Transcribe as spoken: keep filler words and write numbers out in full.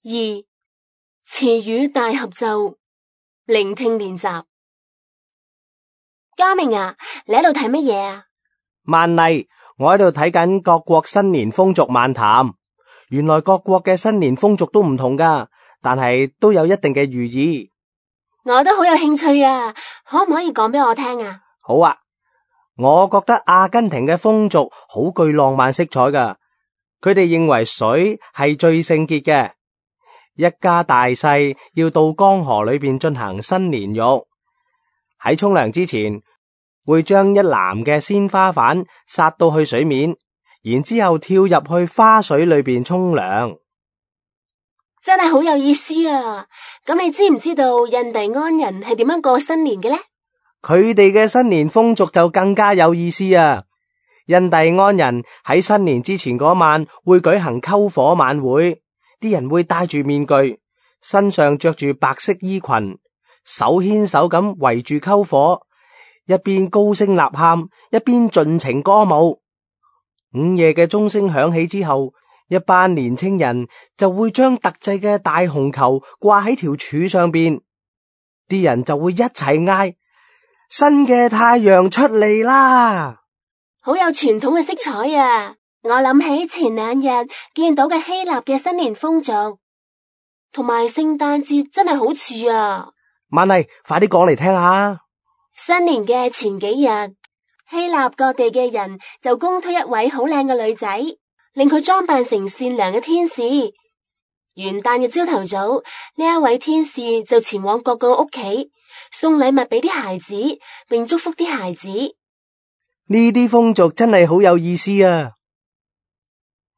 二、詞語大合奏，聆聽練習。嘉明啊，你喺度睇乜嘢啊？萬麗，我喺度睇緊各國新年風俗漫談。原來各國嘅新年風俗都唔同噶，但係都有一定嘅寓意。我都好有興趣啊，可唔可以講俾我聽啊？好啊，我覺得阿根廷嘅風俗好具浪漫色彩噶。佢哋認為水係最聖潔嘅，一家大細要到江河裏邊進行新年浴。喺沖涼之前，會將一籃嘅鮮花瓣撒到去水面，然之後跳入去花水裏邊沖涼。真係好有意思啊！咁你知唔知道印第安人係點樣過新年嘅呢？佢哋嘅新年風俗就更加有意思啊！印第安人喺新年之前嗰晚會舉行篝火晚會，啲人會戴住面具，身上着住白色衣裙，手牽手咁圍住篝火，一邊高聲吶喊，一邊盡情歌舞。午夜嘅鐘聲響起之後，一班年青人就會將特製嘅大紅球掛喺條柱上邊，啲人就會一齊嗌：新嘅太陽出嚟啦！好有傳統嘅色彩啊！我諗起前兩日見到嘅希臘嘅新年風俗，同埋聖誕節真係好似啊！萬麗，快啲講嚟聽下。新年嘅前幾日，希臘各地嘅人就公推一位好靚嘅女仔，令佢裝扮成善良嘅天使。元旦嘅朝頭早，呢一位天使就前往各個屋企，送禮物俾啲孩子，並祝福啲孩子。呢啲風俗真係好有意思啊！